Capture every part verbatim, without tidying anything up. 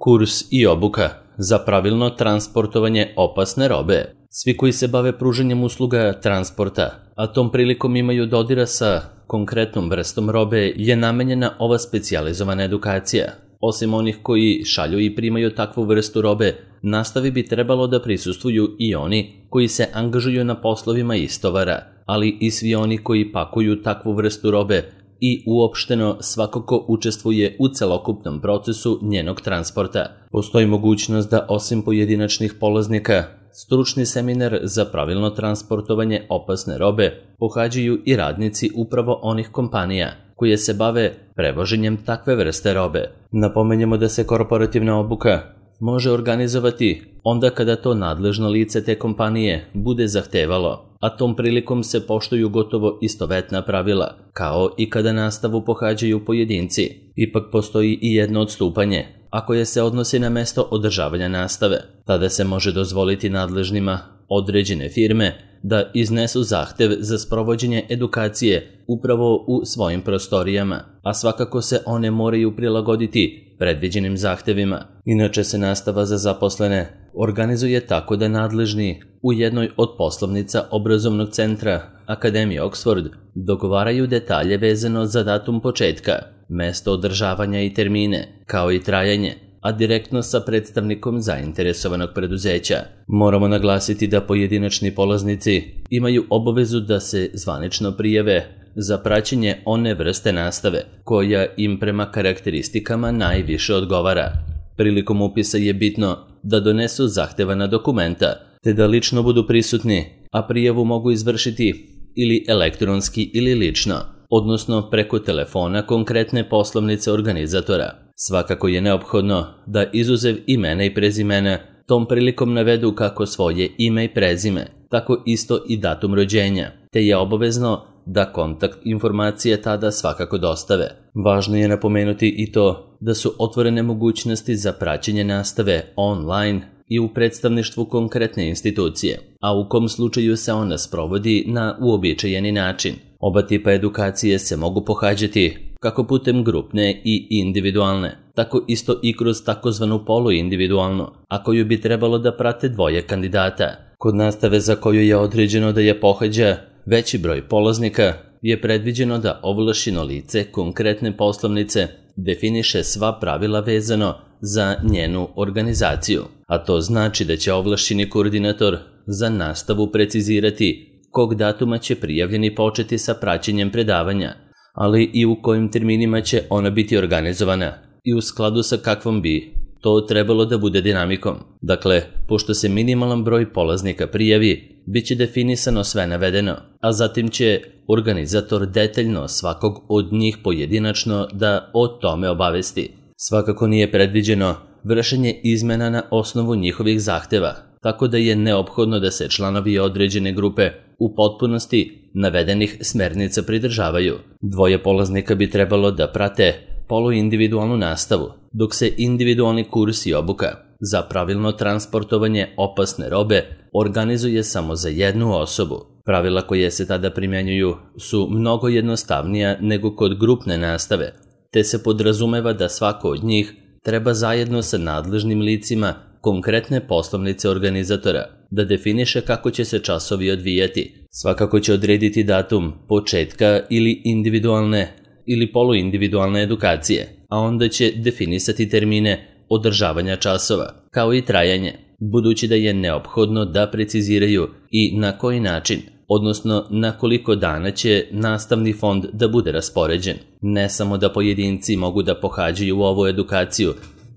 Kurs i obuka za pravilno transportovanje opasne robe. Svi koji se bave pružanjem usluga transporta, a tom prilikom imaju dodira sa konkretnom vrstom robe, je namenjena ova specijalizovana edukacija. Osim onih koji šalju i primaju takvu vrstu robe, nastavi bi trebalo da prisustvuju i oni koji se angažuju na poslovima istovara, ali i svi oni koji pakuju takvu vrstu robe i uopšteno svako ko učestvuje u celokupnom procesu njenog transporta. Postoji mogućnost da osim pojedinačnih polaznika, stručni seminar za pravilno transportovanje opasne robe pohađaju i radnici upravo onih kompanija koje se bave prevoženjem takve vrste robe. Napomenjemo da se korporativna obuka može organizovati onda kada to nadležno lice te kompanije bude zahtevalo, a tom prilikom se poštuju gotovo istovetna pravila, kao i kada nastavu pohađaju pojedinci. Ipak postoji i jedno odstupanje, a koje se odnosi na mesto održavanja nastave. Tada se može dozvoliti nadležnima određene firme da iznesu zahtev za sprovođenje edukacije upravo u svojim prostorijama, a svakako se one moraju prilagoditi predviđenim zahtevima. Inače se nastava za zaposlene organizuje tako da nadležni u jednoj od poslovnica obrazovnog centra Akademije Oxford dogovaraju detalje vezano za datum početka, mesto održavanja i termine, kao i trajanje, a direktno sa predstavnikom zainteresovanog preduzeća. Moramo naglasiti da pojedinačni polaznici imaju obavezu da se zvanično prijave za praćenje one vrste nastave koja im prema karakteristikama najviše odgovara. Prilikom upisa je bitno da donesu zahtevana dokumenta, te da lično budu prisutni, a prijavu mogu izvršiti ili elektronski ili lično, odnosno preko telefona konkretne poslovnice organizatora. Svakako je neophodno da izuzev imena i prezimena tom prilikom navedu kako svoje ime i prezime, tako isto i datum rođenja, te je obavezno da kontakt informacije tada svakako dostave. Važno je napomenuti i to da su otvorene mogućnosti za praćenje nastave online i u predstavništvu konkretne institucije, a u kom slučaju se ona sprovodi na uobičajeni način. Oba tipa edukacije se mogu pohađati kako putem grupne i individualne, tako isto i kroz takozvanu poluindividualnu, a koju bi trebalo da prate dvoje kandidata. Kod nastave za koju je određeno da je pohađa veći broj polaznika je predviđeno da ovlašćeno lice konkretne poslovnice definiše sva pravila vezano za njenu organizaciju, a to znači da će ovlašćeni koordinator za nastavu precizirati kog datuma će prijavljeni početi sa praćenjem predavanja, ali i u kojim terminima će ona biti organizovana i u skladu sa kakvom bi to trebalo da bude dinamikom. Dakle, pošto se minimalan broj polaznika prijavi, bit će definisano sve navedeno, a zatim će organizator detaljno svakog od njih pojedinačno da o tome obavesti. Svakako nije predviđeno vršenje izmena na osnovu njihovih zahteva, tako da je neophodno da se članovi određene grupe u potpunosti navedenih smernica pridržavaju. Dvoje polaznika bi trebalo da prate poluindividualnu nastavu, dok se individualni kurs i obuka za pravilno transportovanje opasne robe organizuje samo za jednu osobu. Pravila koje se tada primjenjuju su mnogo jednostavnija nego kod grupne nastave, te se podrazumeva da svako od njih treba zajedno sa nadležnim licima konkretne poslovnice organizatora da definiše kako će se časovi odvijati. Svakako će odrediti datum početka ili individualne ili poluindividualne edukacije, a onda će definisati termine održavanja časova, kao i trajanje, budući da je neophodno da preciziraju i na koji način, odnosno na koliko dana će nastavni fond da bude raspoređen. Ne samo da pojedinci mogu da pohađaju ovu edukaciju,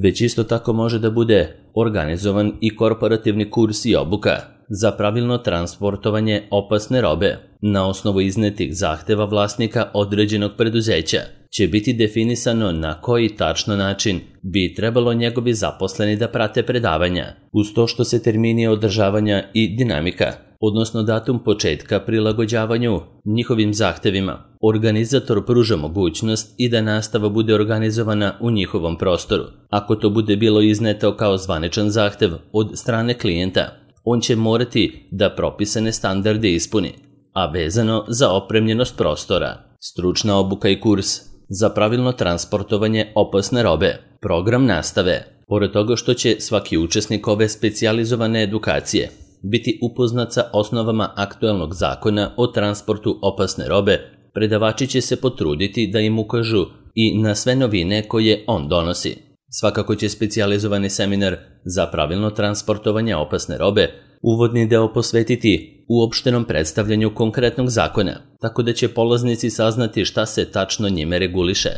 već isto tako može da bude organizovan i korporativni kurs i obuka za pravilno transportovanje opasne robe. Na osnovu iznetih zahteva vlasnika određenog preduzeća će biti definisano na koji tačno način bi trebalo njegovi zaposleni da prate predavanja, uz to što se termini održavanja i dinamika, odnosno datum početka prilagođavanju njihovim zahtevima. Organizator pruža mogućnost i da nastava bude organizovana u njihovom prostoru. Ako to bude bilo izneto kao zvaničan zahtev od strane klijenta, on će morati da propisane standarde ispuni, a vezano za opremljenost prostora. Stručna obuka i kurs za pravilno transportovanje opasne robe. Program nastave. Pored toga što će svaki učesnik ove specijalizovane edukacije biti upoznat sa osnovama aktuelnog zakona o transportu opasne robe, predavači će se potruditi da im ukažu i na sve novine koje on donosi. Svakako će specijalizovani seminar za pravilno transportovanje opasne robe uvodni deo posvetiti uopštenom predstavljanju konkretnog zakona, tako da će polaznici saznati šta se tačno njime reguliše.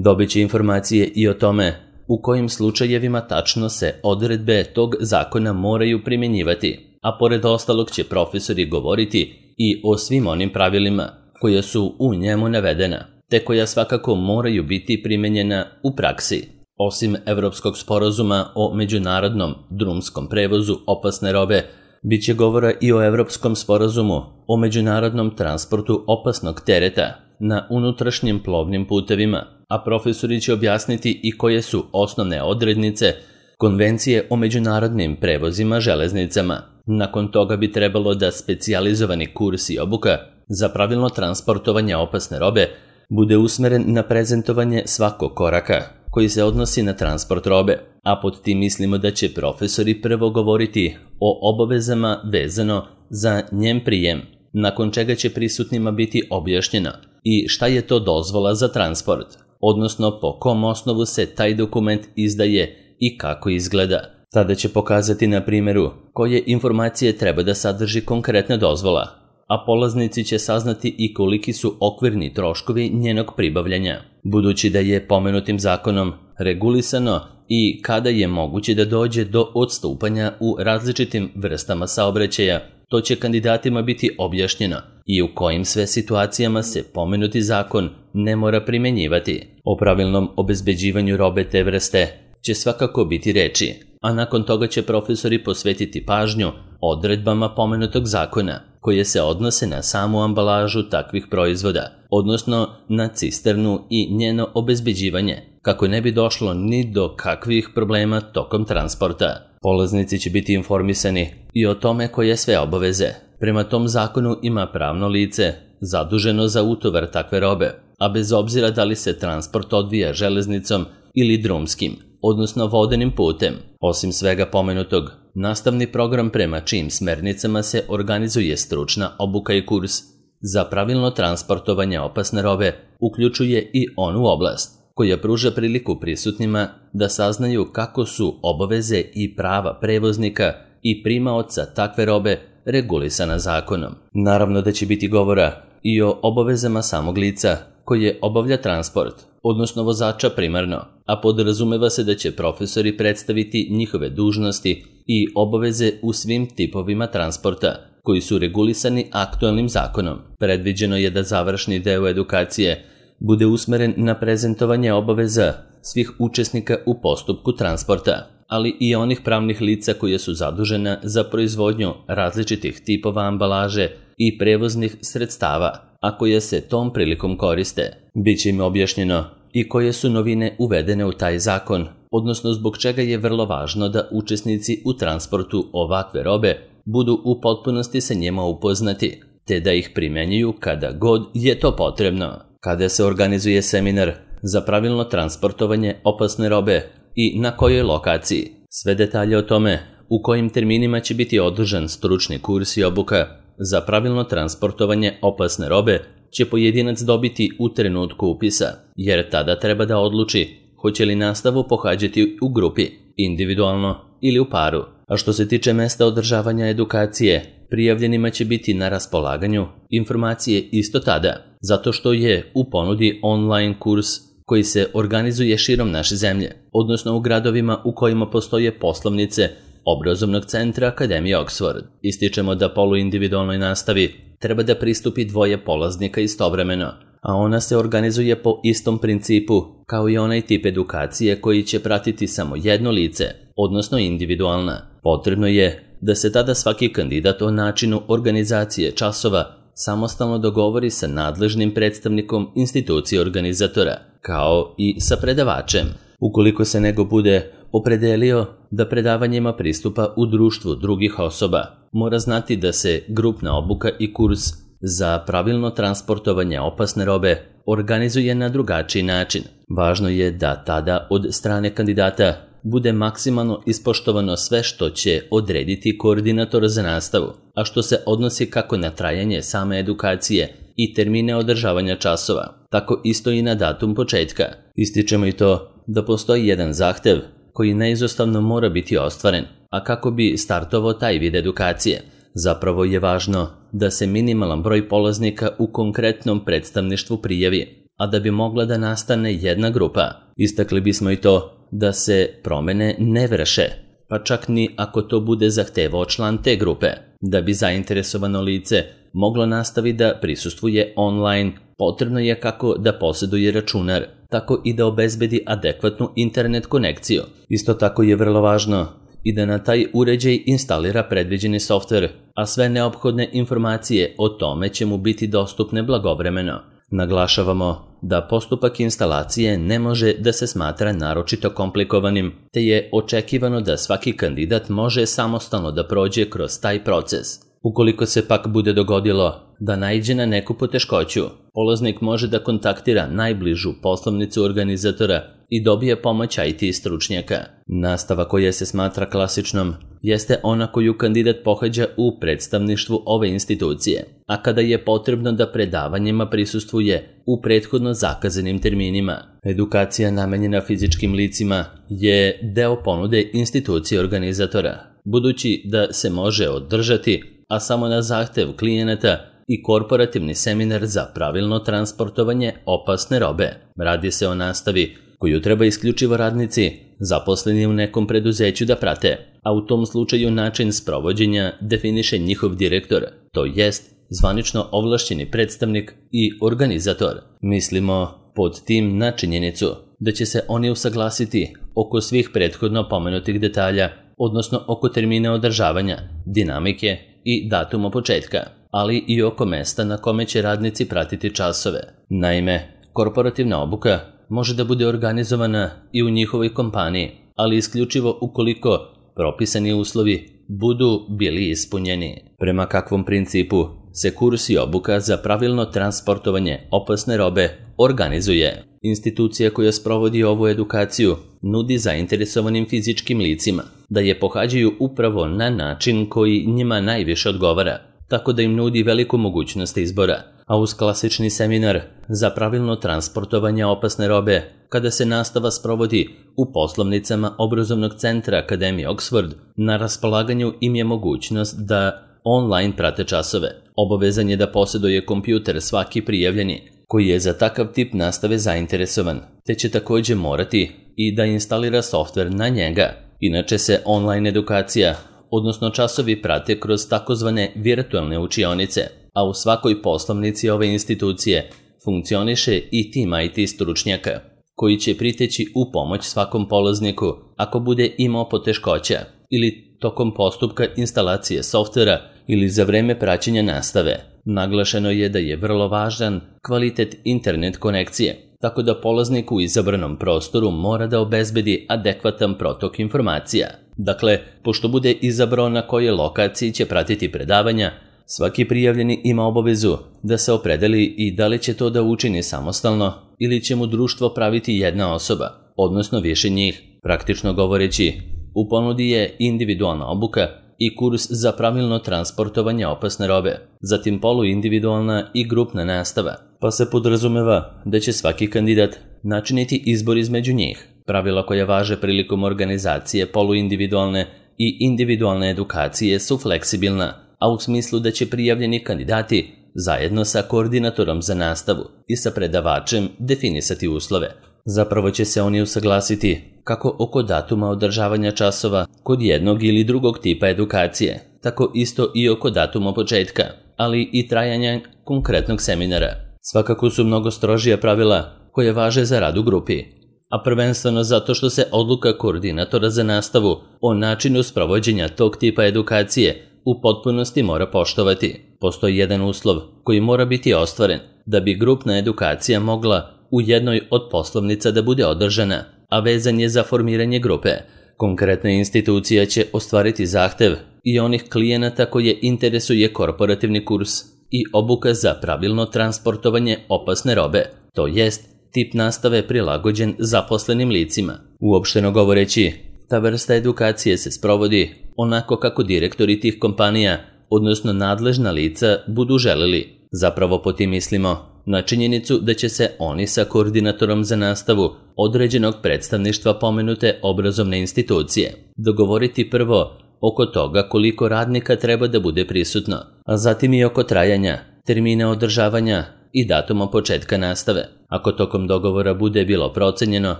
Dobit će informacije i o tome u kojim slučajevima tačno se odredbe tog zakona moraju primjenjivati, a pored ostalog će profesori govoriti i o svim onim pravilima koja su u njemu navedena, te koja svakako moraju biti primenjena u praksi. Osim Evropskog sporazuma o međunarodnom drumskom prevozu opasne robe, bit će govora i o Evropskom sporazumu o međunarodnom transportu opasnog tereta na unutrašnjim plovnim putevima, a profesori će objasniti i koje su osnovne odrednice Konvencije o međunarodnim prevozima železnicama. Nakon toga bi trebalo da specijalizovani kurs i obuka za pravilno transportovanje opasne robe bude usmeren na prezentovanje svakog koraka koji se odnosi na transport robe, a pod tim mislimo da će profesori prvo govoriti o obavezama vezano za njen prijem, nakon čega će prisutnima biti objašnjeno i šta je to dozvola za transport, odnosno po kom osnovu se taj dokument izdaje i kako izgleda. Tada će pokazati na primjeru koje informacije treba da sadrži konkretna dozvola, a polaznici će saznati i koliki su okvirni troškovi njenog pribavljanja, budući da je pomenutim zakonom regulisano i kada je moguće da dođe do odstupanja u različitim vrstama saobraćaja. To će kandidatima biti objašnjeno i u kojim sve situacijama se pomenuti zakon ne mora primjenjivati. O pravilnom obezbeđivanju robe te vrste će svakako biti reči, a nakon toga će profesori posvetiti pažnju odredbama pomenutog zakona koje se odnose na samu ambalažu takvih proizvoda, odnosno na cisternu i njeno obezbeđivanje, kako ne bi došlo ni do kakvih problema tokom transporta. Polaznici će biti informisani i o tome koje sve obaveze prema tom zakonu ima pravno lice zaduženo za utovar takve robe, a bez obzira da li se transport odvija železnicom ili drumskim, odnosno vodenim putem. Osim svega pomenutog, nastavni program prema čijim smernicama se organizuje stručna obuka i kurs za pravilno transportovanje opasne robe uključuje i onu oblast koja pruža priliku prisutnima da saznaju kako su obaveze i prava prevoznika i primaoca takve robe regulisana zakonom. Naravno da će biti govora i o obavezama samog lica koje obavlja transport, odnosno vozača primarno, a podrazumeva se da će profesori predstaviti njihove dužnosti i obaveze u svim tipovima transporta koji su regulisani aktualnim zakonom. Predviđeno je da završni deo edukacije bude usmeren na prezentovanje obaveza svih učesnika u postupku transporta, ali i onih pravnih lica koje su zadužena za proizvodnju različitih tipova ambalaže i prevoznih sredstava, a koje se tom prilikom koriste. Biće im objašnjeno i koje su novine uvedene u taj zakon, odnosno zbog čega je vrlo važno da učesnici u transportu ovakve robe budu u potpunosti sa njima upoznati, te da ih primenjuju kada god je to potrebno. Kada se organizuje seminar za pravilno transportovanje opasne robe i na kojoj lokaciji. Sve detalje o tome u kojim terminima će biti održan stručni kurs i obuka za pravilno transportovanje opasne robe će pojedinac dobiti u trenutku upisa, jer tada treba da odluči hoće li nastavu pohađati u grupi, individualno ili u paru. A što se tiče mesta održavanja edukacije, prijavljenima će biti na raspolaganju informacije isto tada, zato što je u ponudi online kurs koji se organizuje širom naše zemlje, odnosno u gradovima u kojima postoje poslovnice obrazovnog centra Akademije Oxford. Ističemo da poluindividualnoj nastavi treba da pristupi dvoje polaznika istovremeno, a ona se organizuje po istom principu kao i onaj tip edukacije koji će pratiti samo jedno lice, odnosno individualna. Potrebno je da se tada svaki kandidat o načinu organizacije časova samostalno dogovori sa nadležnim predstavnikom institucije organizatora, kao i sa predavačem. Ukoliko se nego bude opredelio da predavanjima pristupa u društvu drugih osoba, mora znati da se grupna obuka i kurs za pravilno transportovanje opasne robe organizuje na drugačiji način. Važno je da tada od strane kandidata bude maksimalno ispoštovano sve što će odrediti koordinator za nastavu, a što se odnosi kako na trajanje same edukacije i termine održavanja časova, tako isto i na datum početka. Ističemo i to da postoji jedan zahtev koji neizostavno mora biti ostvaren, a kako bi startovao taj vid edukacije, zapravo je važno da se minimalan broj polaznika u konkretnom predstavništvu prijavi, a da bi mogla da nastane jedna grupa, istakli bismo i to da se promene ne vrše, pa čak ni ako to bude zahtevao član te grupe. Da bi zainteresovano lice moglo nastaviti da prisustvuje online, potrebno je kako da posjeduje računar, tako i da obezbedi adekvatnu internet konekciju. Isto tako je vrlo važno i da na taj uređaj instalira predviđeni softver, a sve neophodne informacije o tome će mu biti dostupne blagovremeno. Naglašavamo da postupak instalacije ne može da se smatra naročito komplikovanim, te je očekivano da svaki kandidat može samostalno da prođe kroz taj proces. Ukoliko se pak bude dogodilo da naiđe na neku poteškoću, polaznik može da kontaktira najbližu poslovnicu organizatora i dobije pomoć I T stručnjaka. Nastava koja se smatra klasičnom jeste ona koju kandidat pohađa u predstavništvu ove institucije, a kada je potrebno da predavanjima prisustvuje u prethodno zakazanim terminima. Edukacija namenjena fizičkim licima je deo ponude institucije organizatora, budući da se može održati, a samo na zahtev klijenata, i korporativni seminar za pravilno transportovanje opasne robe. Radi se o nastavi koju treba isključivo radnici zaposleni u nekom preduzeću da prate, a u tom slučaju način sprovođenja definiše njihov direktor, to jest zvanično ovlašćeni predstavnik i organizator. Mislimo pod tim na činjenicu da će se oni usaglasiti oko svih prethodno pomenutih detalja, odnosno oko termina održavanja, dinamike i datuma početka, ali i oko mesta na kome će radnici pratiti časove. Naime, korporativna obuka može da bude organizovana i u njihovoj kompaniji, ali isključivo ukoliko propisani uslovi budu bili ispunjeni. Prema kakvom principu se kurs i obuka za pravilno transportovanje opasne robe organizuje? Institucija koja sprovodi ovu edukaciju nudi zainteresovanim fizičkim licima da je pohađaju upravo na način koji njima najviše odgovara, tako da im nudi veliku mogućnost izbora, a uz klasični seminar za pravilno transportovanje opasne robe, kada se nastava sprovodi u poslovnicama obrazovnog centra Akademije Oxford, na raspolaganju im je mogućnost da online prate časove. Obavezan je da posjeduje kompjuter svaki prijavljeni koji je za takav tip nastave zainteresovan, te će također morati i da instalira softver na njega. Inače se online edukacija, odnosno časovi, prate kroz takozvane virtualne učionice, a u svakoj poslovnici ove institucije funkcioniše i tim I T stručnjaka, koji će priteći u pomoć svakom polazniku ako bude imao poteškoća ili tokom postupka instalacije softvera ili za vreme praćenja nastave. Naglašeno je da je vrlo važan kvalitet internet konekcije, tako da polaznik u izabranom prostoru mora da obezbedi adekvatan protok informacija. Dakle, pošto bude izabrao na kojoj lokaciji će pratiti predavanja, svaki prijavljeni ima obavezu da se opredeli i da li će to da učini samostalno ili će mu društvo praviti jedna osoba, odnosno više njih. Praktično govoreći, u ponudi je individualna obuka i kurs za pravilno transportovanje opasne robe, zatim poluindividualna i grupna nastava, pa se podrazumeva da će svaki kandidat načiniti izbor između njih. Pravila koja važe prilikom organizacije poluindividualne i individualne edukacije su fleksibilna, a u smislu da će prijavljeni kandidati zajedno sa koordinatorom za nastavu i sa predavačem definisati uslove. Zapravo će se oni usaglasiti kako oko datuma održavanja časova kod jednog ili drugog tipa edukacije, tako isto i oko datuma početka, ali i trajanja konkretnog seminara. Svakako su mnogo strožija pravila koje važe za rad u grupi, a prvenstveno zato što se odluka koordinatora za nastavu o načinu sprovođenja tog tipa edukacije u potpunosti mora poštovati. Postoji jedan uslov koji mora biti ostvaren da bi grupna edukacija mogla u jednoj od poslovnica da bude održana, a vezan je za formiranje grupe. Konkretna institucija će ostvariti zahtev i onih klijenata koje interesuje korporativni kurs i obuka za pravilno transportovanje opasne robe, to jest tip nastave prilagođen zaposlenim licima. Uopšteno govoreći, Ta vrsta edukacije se sprovodi onako kako direktori tih kompanija, odnosno nadležna lica, budu želeli. Zapravo po tim mislimo na činjenicu da će se oni sa koordinatorom za nastavu određenog predstavništva pomenute obrazovne institucije dogovoriti prvo oko toga koliko radnika treba da bude prisutno, a zatim i oko trajanja, termina održavanja i datuma početka nastave. Ako tokom dogovora bude bilo procenjeno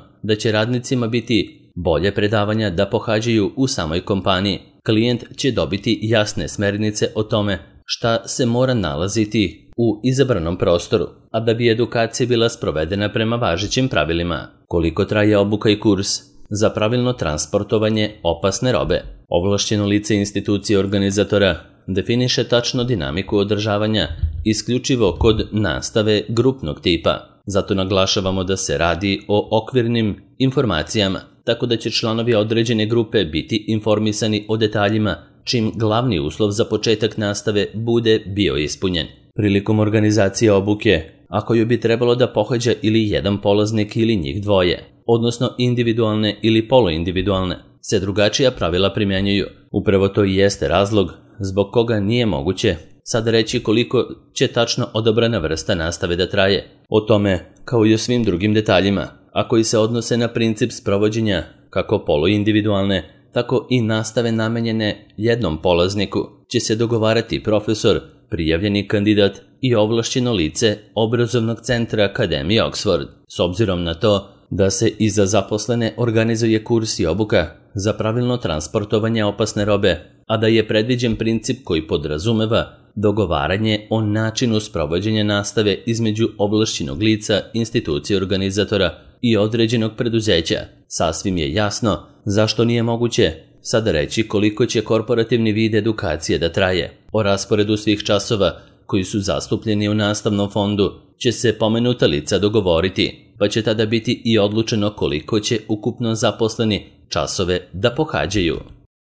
da će radnicima biti bolje predavanja da pohađaju u samoj kompaniji, klijent će dobiti jasne smernice o tome šta se mora nalaziti u izabranom prostoru, a da bi edukacija bila sprovedena prema važećim pravilima. Koliko traje obuka i kurs za pravilno transportovanje opasne robe? Ovlašćeno lice institucije organizatora definiše tačno dinamiku održavanja isključivo kod nastave grupnog tipa. Zato naglašavamo da se radi o okvirnim informacijama, tako da će članovi određene grupe biti informisani o detaljima čim glavni uslov za početak nastave bude bio ispunjen. Prilikom organizacije obuke, ako ju bi trebalo da pohađa ili jedan polaznik ili njih dvoje, odnosno individualne ili poluindividualne, se drugačija pravila primjenjuju. Upravo to i jeste razlog zbog koga nije moguće sad reći koliko će tačno odabrana vrsta nastave da traje. O tome, kao i o svim drugim detaljima, a koji se odnose na princip sprovođenja kako poluindividualne, tako i nastave namenjene jednom polazniku, će se dogovarati profesor, prijavljeni kandidat i ovlašćeno lice obrazovnog centra Akademije Oxford. S obzirom na to da se i za zaposlene organizuje kurs i obuka za pravilno transportovanje opasne robe, a da je predviđen princip koji podrazumeva dogovaranje o načinu sprovođenja nastave između ovlašćenog lica, institucije organizatora i određenog preduzeća, sasvim je jasno zašto nije moguće sada reći koliko će korporativni vid edukacije da traje. O rasporedu svih časova koji su zastupljeni u nastavnom fondu će se pomenuta lica dogovoriti, pa će tada biti i odlučeno koliko će ukupno zaposleni časove da pohađaju.